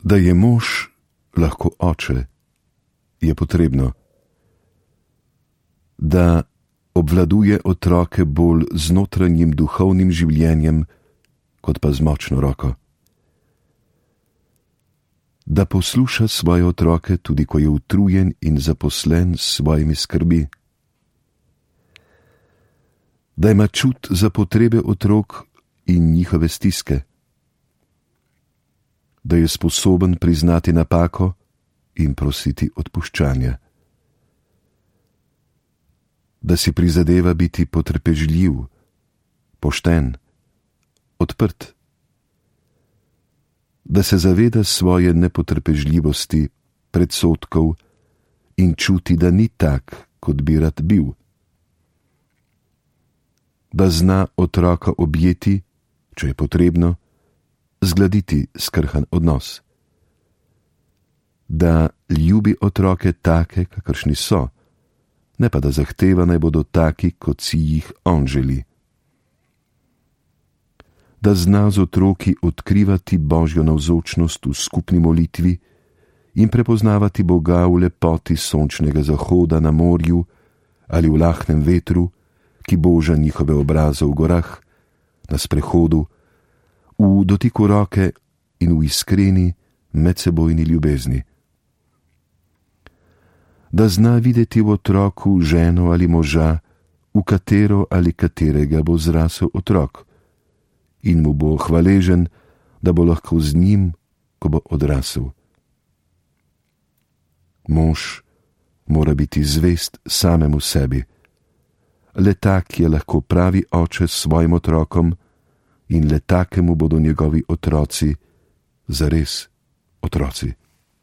Da je mož lahko oče, je potrebno, da obvladuje otroke bolj z notranjim duhovnim življenjem, kot pa z močno roko. Da posluša svoje otroke, tudi ko je utrujen in zaposlen s svojimi skrbi. Da ima čut za potrebe otrok in njihove stiske. Da je sposoben priznati napako in prositi odpuščanja. Da si prizadeva biti potrpežljiv, pošten, odprt. Da se zaveda svoje nepotrpežljivosti, predsodkov in čuti, da ni tak, kot bi rad bil. Da zna otroka objeti, če je potrebno, zgladiti skrhan odnos. Da ljubi otroke take, kakršni so, ne pa da zahteva, naj bodo taki, kot si jih on želi. Da zna z otroki odkrivati Božjo navzočnost v skupni molitvi in prepoznavati Boga v lepoti sončnega zahoda na morju ali v lahnem vetru, ki boža njihove obraze v gorah, na sprehodu, v dotiku roke in v iskreni medsebojni ljubezni. Da zna videti v otroku ženo ali moža, v katero ali katerega bo zrasel otrok, in mu bo hvaležen, da bo lahko z njim, ko bo odrasel. Mož mora biti zvest samemu sebi. Le tak je lahko pravi oče s svojim otrokom in le takemu bodo njegovi otroci zares otroci.